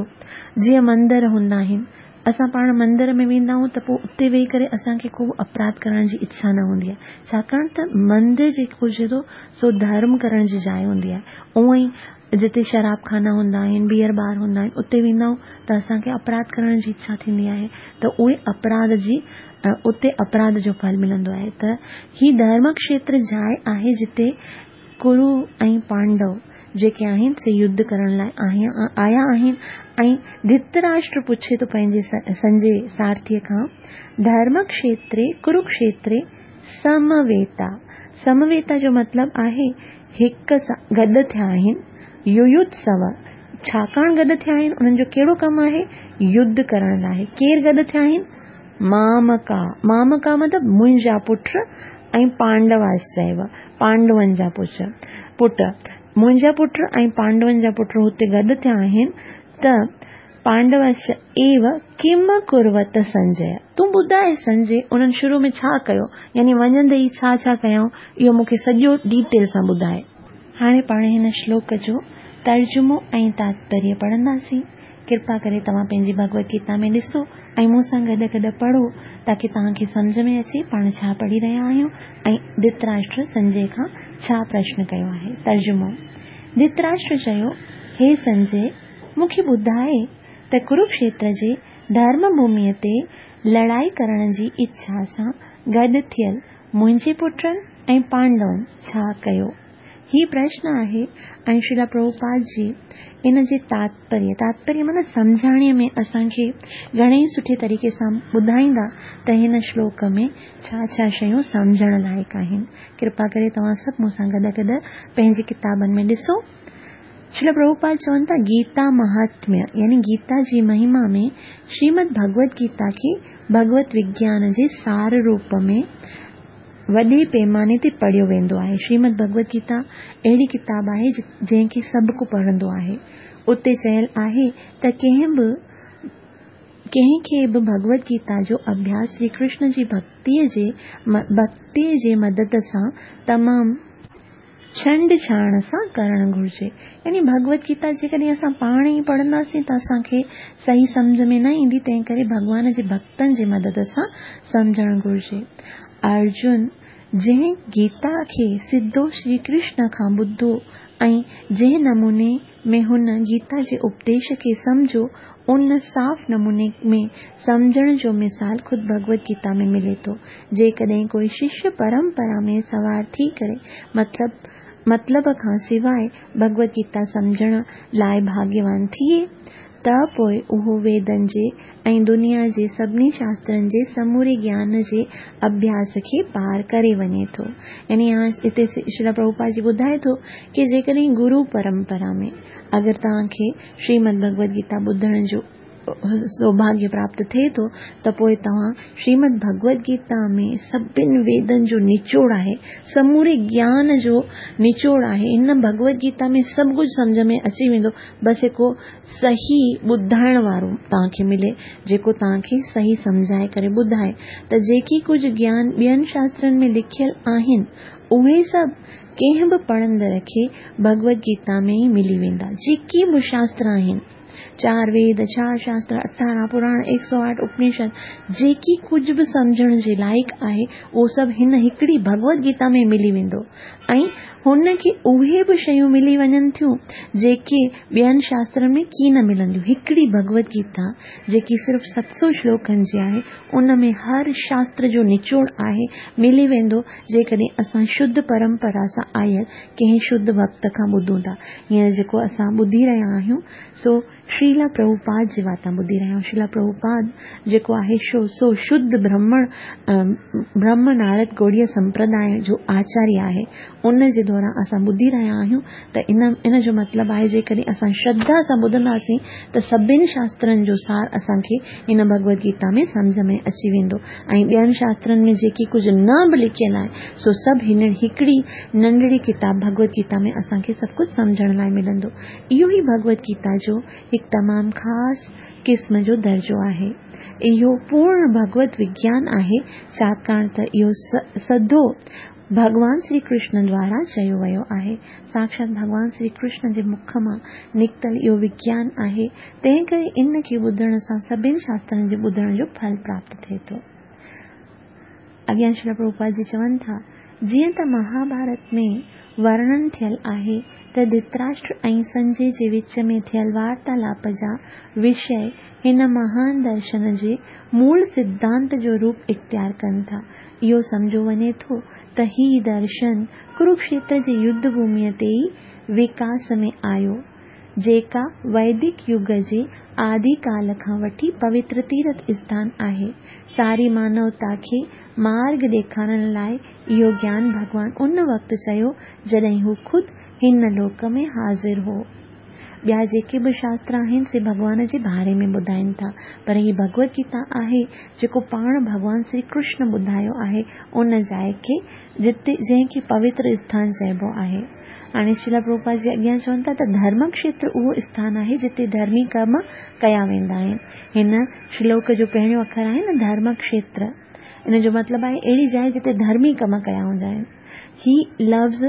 جيئن مندر هوندا آهن اسان پاڻ مندر ۾ ويندا آهيون ته پوء اتي ويهي ڪري اسان کي ڪو به اپراڌ ڪرڻ جي اڇا نه هوندي آهي ڇاڪاڻ ته مندر جيڪو هجي ٿو سو ڌرم ڪرڻ جي جاء هوندي آهي. اونئن ئي جتي شراب خانا هوندا آهن بيئر بار هوندا آهن اتي ويندا آهيون ته اسان کي اپراڌ ڪرڻ جي اڇا ٿيندي آهي ته اهي اپراڌ جي اتي اپراڌ جو ڦل ملندو آهي ته هي ڌرم کشيتر جاء آهي جتي ڪرو ۽ پانڊو جيڪي آهن سي يڌ ڪرڻ لاء آيا آهن ۽ ڌتراشٽر پڇي ٿو پنهنجي سنجي سارٿيء کان ڌرم کشيتري ڪروڪشيتري سمويتا سمويتا جو مطلب آهي هڪ سان گڏ ٿيا آهن يويوتسو ڇاڪاڻ گڏ ٿيا آهن؟ انهن جو ڪهڙو ڪم آهي؟ يڌ ڪرڻ لاء. ڪير گڏ ٿيا آهن؟ مامڪا، مامڪا مطلب منهنجا پٽ ۽ پانڊواسچيو، پانڊون جا پٽ. منهنجا پٽ ۽ پانڊون جا پٽ هتي گڏ ٿيا آهن ته پانڊواسچ ايو ڪم ڪروت سنجي، تون ٻڌاء سنجي انهن شروع ۾ ڇا ڪيو؟ يعني وڃندي ئي ڇا ڇا ڪيائون؟ اهو مون کي سڄو ڊيٽيل سان ٻڌاء. هاڻي پاڻ هن شلوڪ جو ترجمو ۽ تاتپريه پڙهنداسين. ڪرپا ڪري توهان پنهنجي ڀڳوت گيتا ۾ ڏسو ۽ مون سان گڏ گڏ پڙهو تاڪه توهان کي سمجهه ۾ اچي پاڻ ڇا پڙهي رهيا آهيون ۽ ڌتراشٽر سنجي کان ڇا پرشن ڪيو آهي. ترجمو، ڌتراشٽر چيو، هي سنجي! مون کي ٻڌاء ته ڪروڪشيتر جي ڌرم ڀوميء تي لڙائي ڪرڻ جي اڇا سان گڏ ٿيل منهنجي پٽن ۽ پانڊون ڇا ڪيو؟ هي پرشن آهي ۽ شريلا پرڀوپاد جي ان جي تاتپريه، تاتپريه معنيٰ سمجهاڻيء ۾ اسان کي گهڻي ئي سٺي طريقي سان ٻڌائيندا ته هن شلوڪ ۾ ڇا ڇا شيون سمجهڻ لائق آهن. ڪرپا ڪري توهان سڀ مون سان گڏ گڏ پنهنجي ڪتابن ۾ ڏسو. شريلا پرڀوپاد چون ٿا گيتا مهاتميه يعني گيتا جي مهما ۾ شريمد ڀڳوت گيتا کي ڀڳوت وگيان جي سار روپ ۾ وڏي پيماني تي پڙهيو ويندو آهي. شريمد ڀڳوت گيتا اهڙي ڪتاب آهي جنهن کي سڀ ڪو پڙهندو آهي. اتي چيل آهي ته ڪنهن به ڪنهن کي به ڀڳوت گيتا جو اڀياس شري ڪرشن جي ڀڳتيء جي مدد سان تمام ڇنڊ ڇاڻ سان ڪرڻ گهرجي. يعني ڀڳوت گيتا جيڪڏهن اسان پاڻ ئي پڙهنداسين ته اسان کي صحيح سمجهه ۾ نه ايندي تنهن ڪري ڀڳوان جي ڀڳتن جي مدد سان سمجهڻ گهرجي. ارجن جنهن گيتا کي سڌو شري ڪرشن کان ٻڌو ۽ جنهن نموني ۾ هن گيتا جي اپديش کي سمجهيو، ان صاف نموني ۾ سمجهڻ جو مثال خود ڀڳوت گيتا ۾ ملي ٿو. جيڪڏهن ڪوئي ششيه پرمپرا ۾ سوار ٿي ڪري مطلب مطلب کان سواء ڀڳوت گيتا سمجهڻ لاء ڀاڳيوان ٿئي ته پوء اهو ويدن جي ۽ دنيا جي سڀني شاسترن جي سموري گيان جي اڀياس کي پار ڪري وڃي ٿو. يعني هتي شريلا پرڀوپاد جي ٻڌائي ٿو ڪي جيڪڏهن گرو پرمپرا ۾ اگر توهان کي شريمد ڀڳوت گيتا ٻڌڻ جو سوڀاگيه پراپت ٿئي ٿو ته پوء توهان شريمد ڀڳوت گيتا ۾ سڀن ويدن جو نچوڙ آهي، سموري گيان جو نچوڙ آهي، هن ڀڳوت گيتا ۾ سڀ ڪجهه سمجهه ۾ اچي ويندو، بس هڪ صحيح ٻڌائڻ وارو توهان کي ملي جيڪو توهان کي صحيح سمجهائي ڪري ٻڌائي ته جيڪي ڪجهه گيان ٻين شاسترن ۾ لکيل آهن اهي سڀ ڪنهن به پڙهندڙ کي ڀڳوت گيتا ۾ ئي ملي ويندا جيڪي به شاستر آهن. چار ويد، چار شاستر، 18 پراڻ، ايڪ سؤ آٺ اپنشد، جيڪي ڪجهه به سمجهڻ جي لائق آهي، اهو سڀ هن هڪڙي ڀڳوت گيتا ۾ ملي ويندو ۽ هن کي اهي به شيون ملي وڃن ٿيون، جيڪي ٻين شاسترن ۾ ڪين ملنديون. هڪڙي ڀڳوت گيتا، جيڪي صرف 700 شلوڪن جي آهي، ان ۾ هر شاستر جو نچوڙ آهي، ملي ويندو، جيڪڏهن اسان شڌ پرمپرا سان آيل ڪنهن شڌ ڀڳت کان ٻڌون ٿا. هينئر جيڪو اسان ٻڌي رهيا آهيون، سو شريلا پرڀوپاد جي واتان ٻڌي رهيا آهيون. شريلا پرڀوپاد جيڪو آهي سو شڌ برهمڻ برهم نارد گوڙيه سمپرداء جو آچاريه آهي. ان جي دوران اسان ٻڌي رهيا آهيون ته ان ان جو مطلب آهي جيڪڏهن اسان شرڌا سان ٻڌنداسين ته سڀن شاسترن جو سار اسان کي هن ڀڳوت گيتا ۾ سمجهه ۾ اچي ويندو ۽ ٻين شاسترن ۾ جيڪي ڪجهه نه به لکيل آهي سو سڀ هن هڪڙي ننڍڙي ڪتاب ڀڳوت گيتا ۾ اسان کي سڀ ڪجهه سمجهڻ لاء ملندو. اهو ئي ڀڳوت گيتا جو هڪ تمام خاص قسم جو درجو آهي. اهو پورڻ ڀڳوت وگيان آهي ڇاڪاڻ ته اهو سڌو ڀڳوان شري ڪرشن دوارا چيو ويو آهي. ساڪشات ڀڳوان شري ڪرشن جي مک مان نڪتل اهو وگيان آهي، تنهنڪري ان کي ٻڌڻ سان سڀن شاسترن جي ٻڌڻ جو ڦل پراپت ٿئي ٿو. اڳيان شريلا پرڀوپاد جي چون ٿا، جيئن ته مهاڀارت ۾ ورڻن ٿيل آهي ته ڌتراشٽر ۽ سنجي جي وچ ۾ ٿيل وارتالاپ جا وشيه هن مهان درشن جي مول سڌانت جو روپ اختيار ڪن ٿا. اهو سمجهيو وڃي ٿو ته هي درشن ڪروڪشيتر جي يڌ ڀوميء تي ئي وڪاس ۾ آيو، جيڪا ويدڪ يگ جي آدي ڪال کان وٺي پوتر تيرٿ اسٿان آهي. ساري مانوتا کي مارڳ ڏيکارڻ لاء اهو گيان ڀڳوان ان وقت چيو، جڏهن هو خود هن لوڪ ۾ حاضر هو. ٻيا جيڪي به شاستر آهن سي ڀڳوان جي باري ۾ ٻڌائين ٿا، پر هي ڀڳوت گيتا آهي، جيڪو پاڻ ڀڳوان شري ڪرشن ٻڌايو آهي، ان جاء کي جتي جنهن کي پوتر اسٿان چئبو آهي. هاڻي شريلا پرڀوپاد جي اڳيان چون ٿا ته ڌرمڪشيتر اهو اسٿان آهي جتي ڌرمي ڪم ڪيا ويندا آهن. هن شلوڪ جو پهريون اکر آهي نه ڌرمڪشيتر. ان جو مطلب آهي اهڙي جاء جتي ڌرمي ڪم ڪيا ويندا آهن. هي لفظ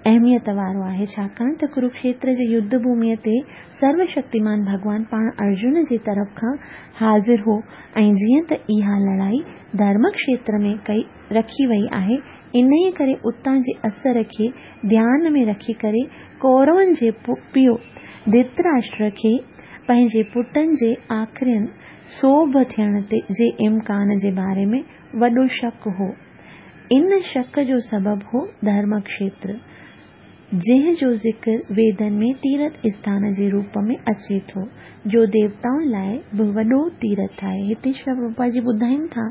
اهميت وارو آهي ڇاڪاڻ ته ڪروڪشيتر جي يڌ ڀوميء تي سرو شڪتيمان ڀڳوان پاڻ ارجن جي طرف کان حاضر هو ۽ جيئن ته اها لڙائي ڌرمڪشيتر ۾ ڪئي رکي وئي آهي، انهيء ڪري اتان جي اثر کي ڌيان ۾ رکي ڪري ڪورون جي پيء ڌرتراشٽر کي پنهنجي پٽن جي آخرين سوڀ ٿيڻ جي امڪان جي باري ۾ وڏو شڪ هو. ان شڪ جو سبب هو ڌرمڪشيتر. جنهن جو ذڪر ويدن ۾ تيرٿ اسٿان جي روپ ۾ اچي ٿو، جو ديوتائن لاء به وڏو تيرٿ آهي. هتي شريلا پرڀوپاد جي ٻڌائين ٿا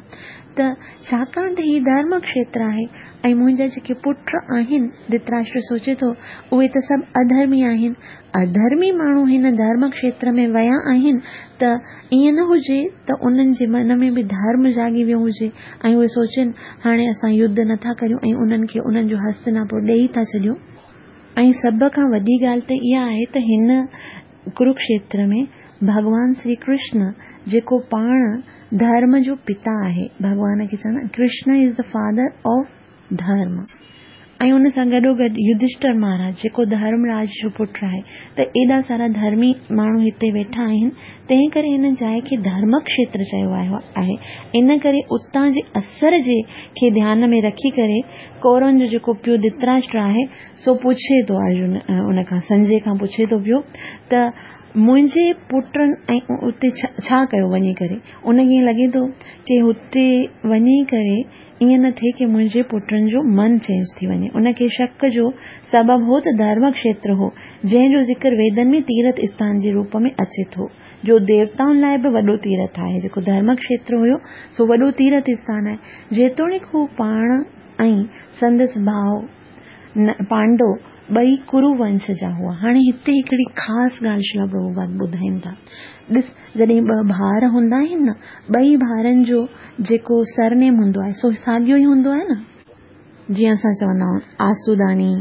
ته ڇاڪاڻ ته هي ڌرم کشيتر آهي ۽ منهنجا جيڪي پٽ آهن، ڌتراشٽر سوچي ٿو، اهي ته سڀ اڌرمي آهن. اڌرمي ماڻهو هن ڌرم کشيتر ۾ ويا آهن ته ائين نه هجي ته انهن جي من ۾ به ڌرم جاڳي ويو هجي ۽ اهي سوچين هاڻي اسان يڌ نه ٿا ڪريون ۽ انهن کي انهن جو هستناپور ڏيئي ٿا ڇڏيون. ۽ سڀ کان وڏي ڳالهه ته اها آهي ته هن ڪروڪشيتر ۾ ڀڳوان شري ڪرشن جيڪو پاڻ ڌرم جو پتا آهي، ڀڳوان کي چوندا آهن Krishna is the father of ڌرم ۽ ان سان گڏوگڏ يڌشٽر مهاراج جيڪو ڌرم راج جو پٽ آهي ته ايڏا سارا ڌرمي ماڻهو هتي ويٺا آهن تنهن ڪري هن جاء کي ڌرمڪشيتر چيو ويو آهي ان ڪري اتان جي اثر جي کي ڌيان ۾ رکي ڪري ڪورون جو جيڪو پيء ڌتراشٽر آهي سو پڇي ٿو ارجن ان کان سنجي کان پڇي ٿو پيو ته منهنجي پٽن ۽ اتي ڇا ڪيو وڃي ڪري ان کي ائين لڳي ٿو ڪي هتي وڃي ڪري ائين نه ٿئي ڪي منهنجي پٽن جو من چينج ٿي وڃي. ان کي شڪ جو سبب هو ته ڌرمڪشيتر هو، جنهن جو ذڪر ويدن ۾ تيرٿ اسٿان جي روپ ۾ اچي ٿو، جو ديوتائن لاء به وڏو تيرٿ آهي. جيڪو ڌرمڪشيتر هيو، سو وڏو تيرٿ اسٿان آهي. جيتوڻيڪ هو پاڻ ۽ سندس ڀاء پانڊو ٻئي ڪرو ونش جا هئا. هاڻي هتي هڪڙي خاص ڳالهه شريلا پرڀوپاد ٻڌائين ٿا. ڏس، جڏهن ٻه ڀائر هوندا آهن نه، ٻئي ڀائرن جو جيڪو سرنيم هوندو آهي، سو ساڳيو ئي هوندو آهي نه. جيئن اسان چوندا آهيون آسوداڻي،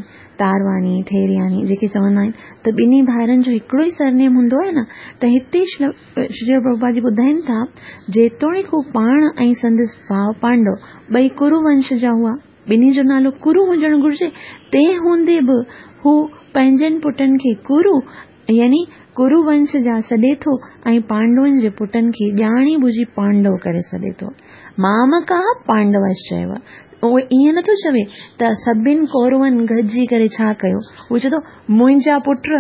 تارواڻي، ٿيرياڻي جيڪي چوندا آهن ته ٻنهي ڀائرن جو هڪڙو ئي سرنيم هوندو آهي نه ته هتي شريلا پرڀوپاد جي ٻڌائين ٿا، جيتوڻيڪ هو پاڻ ۽ سندس ڀاء پانڊو ٻئي ڪرو ونش جا هئا. ٻنهي جو نالو ڪرو هجڻ گهرجي، تنهن هوندي به هو پنهنجن پٽن کي ڪرو يعني ڪرو ونش جا سڏي ٿو ۽ پانڊون جي پٽن کي ڄاڻي ٻجهي پانڊو ڪري سڏي ٿو. مامڪا پانڊوشچيو. اهو ائين نٿو چوي ته سڀن ڪورون گڏجي ڪري ڇا ڪيو. هو چئي ٿو منهنجا پٽ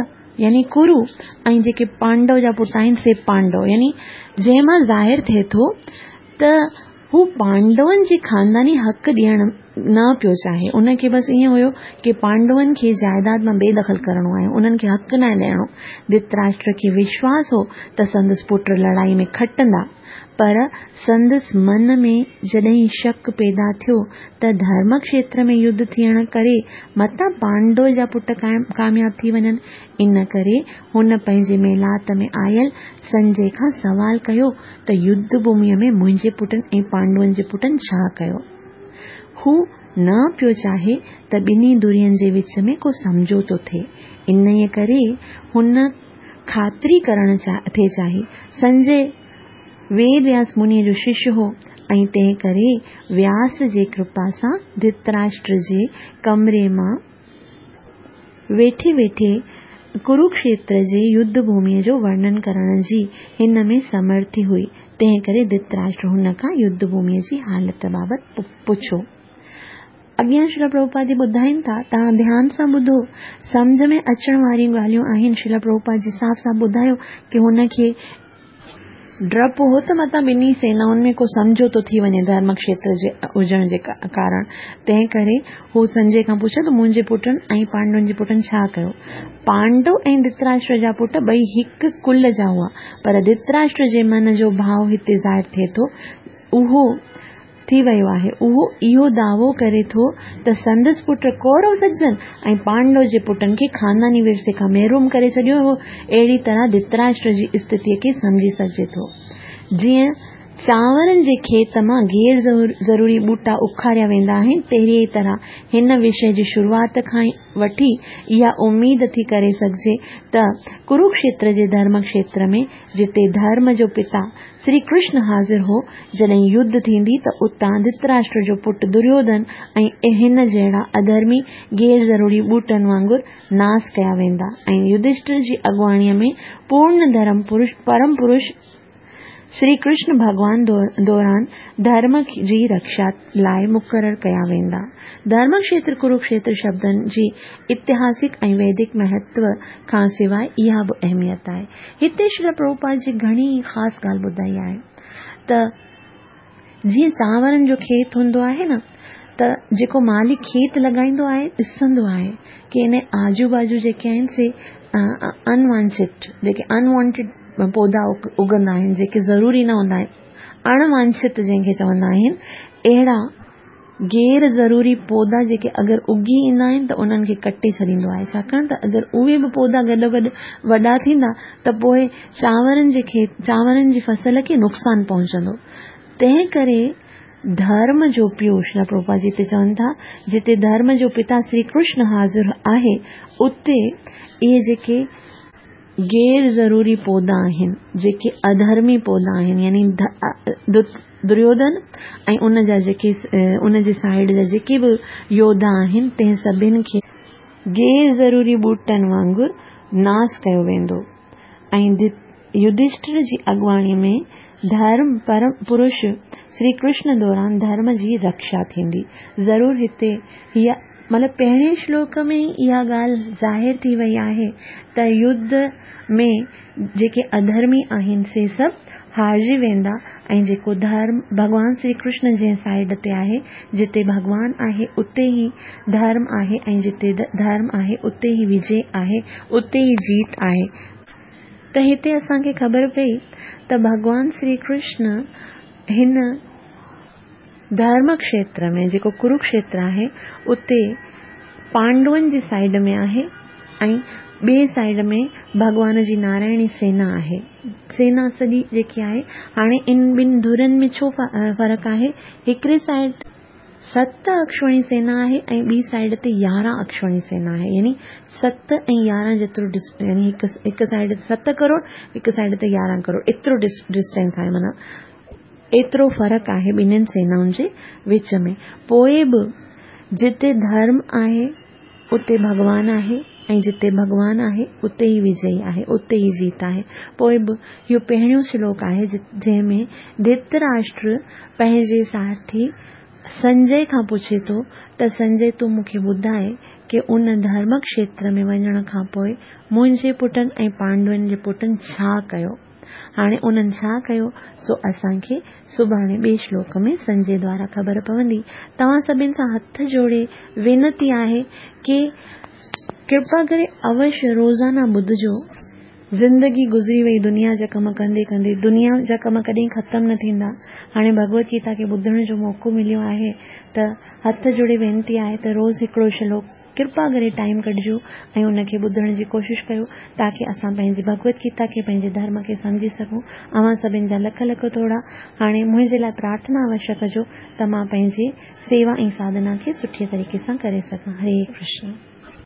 يعني ڪرو ۽ جيڪي پانڊو جا پٽ آهن سي پانڊو يعني جنهن مان ظاهر ٿئي ٿو ته هو پانڊون جي خانداني حق ڏيڻ نه پيو چاهي. ان کي بس ائين هيو ڪي پانڊون کي جائداد مان بي دخل ڪرڻو آهي، انهن کي حق ناهي ڏيڻو. ڌرتراشٽر کي وشواس هو ته سندس پٽ لڙائي ۾ کٽندا، پر سندس من ۾ جڏهن شڪ پيدا ٿيو ته ڌرم کيتر ۾ يڌ ٿيڻ ڪري متان پانڊو جا پٽ ڪامياب ٿي وڃن، ان ڪري هن پنهنجي محلات ۾ آيل سنجي کان سوال ڪيو ته يڌ ڀوميء ۾ منهنجي پٽن ۽ پانڊون جي پٽن ڇا ڪيو؟ هو نه پيو چاهي ته ٻنهي ڌرين جي وچ ۾ ڪو سمجهوتو ٿئي، انهيء ڪري هن خاطري ڪرڻ ٿي چاهي. سنجي ويد وياس منيء جو شش هو ۽ تنهن ڪري وياس جي ڪرپا سان ڌرتراشٽر جي ڪمري مان ويٺي ويٺي ڪروڪشيتر جي يڌ ڀوميء جو ورڻن ڪرڻ جي هن ۾ سمرٿي هئي، تنهن ڪري ڌرتراشٽر هن کان يڌ ڀوميء جي حالت بابت پڇيو. اڳيان شريل پرڀوپاد جي ٻڌائين ٿا، توهان ڌيان سان ٻڌو، سمجهه ۾ اچڻ واريون ڳالهيون آهن، شريل پرڀوپاد جي صاف صاف ٻڌايو ڪي هن کي ڊپ هو ته متان ٻنهي سينائن ۾ ڪو سمجهوتو ٿي وڃي ڌرم کيتر جي هجڻ جي ڪارڻ. تنهن ڪري هو سنجي کان پڇيو ته منهنجي پٽن ۽ پانڊون جي پٽن ڇا ڪيو؟ پانڊو ۽ ڌرتراشٽر جا پٽ ٻئي هڪ ڪل جا هئا، پر ڌرتراشٽر جي من جو ڀاء هتي ظاهر ٿئي ٿو، اهو ٿي ويو آهي. اهو اهو دعوو ڪري ٿو ته سندس پٽ ڪورو سڏجن ۽ پانڊو جي پٽن کي خانداني ورثي کان محروم ڪري ڇڏيو هو. اهڙي طرح ڌرتراشٽر جي استٿيء کي سمجهي سگهجي ٿو. جيئن چانورن جي کيت مان غير ضروري ٻوٽا اکاريا ويندا آهن، تهڙيء طرح هن وشيه جي شروعات کان وٺي اها اميد ٿي ڪري سگهجي ته ڪروڪشيتر جي ڌرم کيتر ۾ جتي ڌرم جو پتا سري ڪرشن حاضر هو، جڏهن يڌ ٿيندي ته اتان ڌرتراشٽر جو پٽ دريوڌن ۽ هن جهڙا اڌرمي غير ضروري ٻوٽن وانگر ناس ڪيا ويندا ۽ يڌشٽر جي اڳواڻيء ۾ پورن ڌرم پرش پرم پرش سري ڪرشن ڀڳوان دوران ڌرم جي رکشا لاء مقرر ڪيا ويندا. ڌرم کيتر ڪروڪشيتر شبدن جي اتهاسڪ ۽ ويدڪ مهتو کان سواء اها به اهميت آهي. هتي شريل پرڀوپاد جي گهڻي خاص ڳالهه ٻڌائي آهي ته جيئن چانورن جو کيت هوندو آهي نه ته جيڪو مالي کيت لڳائيندو آهي ڏسندو آهي ڪي ان آجو باجو جيڪي آهن سي انوانڇت جيڪي انوانٽيڊ پوڌا اگندا آهن جيڪي ضروري نه هوندا آهن اڻ وانڇت جنهن کي چوندا آهن اهڙا غير ضروري پوڌا جيڪي اگر اگي ايندا آهن ته انهن کي ڪٽي ڇڏيندو آهي ڇاڪاڻ ته اگر اهي به پوڌا گڏو گڏ وڏا ٿيندا ته پوء چانورن جي کيت چانورن جي فصل کي نقصان پهچندو تنهن ڪري ڌرم جو پيو شريل پرڀوپاد جي هتي چون ٿا جتي ڌرم جو پتا سري ڪرشن حاضر آهي اتي اهي جيڪي غير ضروري پوڌا آهن، جيڪي اڌرمي پوڌا آهن يعني دريوڌن ۽ ان جا جيڪي ان جي سائيڊ جا جيڪي به يوڌا آهن تنهن سڀن کي غير ضروري ٻوٽن وانگر ناس ڪيو ويندو ۽ يڌشٽر جي اڳواڻي ۾ ڌرم پرم پرش سري ڪرشن دوران ڌرم جي رکشا ٿيندي. ضرور هتي هيء مطلب پهرين شلوڪ ۾ ئي اها ڳالهه ظاهر ٿي وئي آهي ته يڌ ۾ جيڪي اڌرمي آهن سي سڀ هارجي ويندا ۽ جيڪو ڌرم ڀڳوان سري ڪرشن جنهن سائيڊ تي آهي، جتي ڀڳوان آهي اتي ئي ڌرم آهي ۽ جتي ڌرم آهي اتي ئي وجي آهي، اتي ئي جيت آهي. ته هتي اسان کي خبر پئي ته ڀڳوان سري ڪرشن هن ڌرم کيتر ۾ جيڪو ڪروڪشيتر آهي اتي پانڊون جي سائيڊ ۾ آهي ۽ ٻئي سائيڊ ۾ ڀڳوان جي نارائڻي سينا آهي. سينا سڄي جيڪي آهي هاڻي ان ٻن ڌرين ۾ ڇو فرق آهي هڪڙي سائيڊ ست اڪشوڻي سينا آهي ۽ ٻي سائيڊ تي 11 اڪشوڻي سينا آهي يعني 7 ۽ 11 جيترو يعني هڪ سائيڊ تي 7 ڪروڙ هڪ سائيڊ تي 11 ڪروڙ ايترو ڊسٽنس آهي معنيٰ ايترو فرق آهي ٻنهين سينائن جي وچ ۾. پوء به جتي ڌرم آهي اتي ڀڳوان آهي ۽ جتي ڀڳوان آهي اتي ئي وجئي آهي، اتي ئي جيت آهي. پوء به اهو پهريون شلوڪ آهي جنهن ۾ ڌرتراشٽر پنهنجي سارٿي سنجي کان پڇي ٿو ته سنجي تون مون کي ٻڌاء ڪي ان ڌرم کيتر ۾ وڃڻ کان پوء منهنجي پٽن ۽ پانڊون جي پٽن ڇا ڪيو؟ هاڻي انهن ڇا ڪيو سو اسان کي سڀاڻي ٻئي شلوڪ ۾ سنجي دوارا خبر پوندي. توهان سڀن سان هٿ جوڙي وينتي آهي ڪي ڪرپا ڪري اوشيه روزانه ٻڌجو. زندگي گذري وئي دنيا جا ڪم ڪندي ڪندي دنيا جا ڪم ڪڏهن ختم نه ٿيندا. هاڻي ڀڳوت گيتا کي ٻڌڻ جو موقعو مليو آهي ته هٿ جوڙي وينتي آهي ته روز هڪڙو شلوڪ ڪرپا ڪري ٽائيم ڪڍجو ۽ ان کي ٻڌڻ جي ڪوشش ڪيو تاڪه اسان پنهنجي ڀڳوت گيتا کي پنهنجي ڌرم کي سمجهي سگهون. اوهان سڀن جا لک لک ٿورا. هاڻي منهنجي لاء پرارٿنا اوشيه ڪجو ته مان پنهنجي سيوا ۽ ساڌنا کي سٺي طريقي سان ڪري سگهان. هري ڪرشن.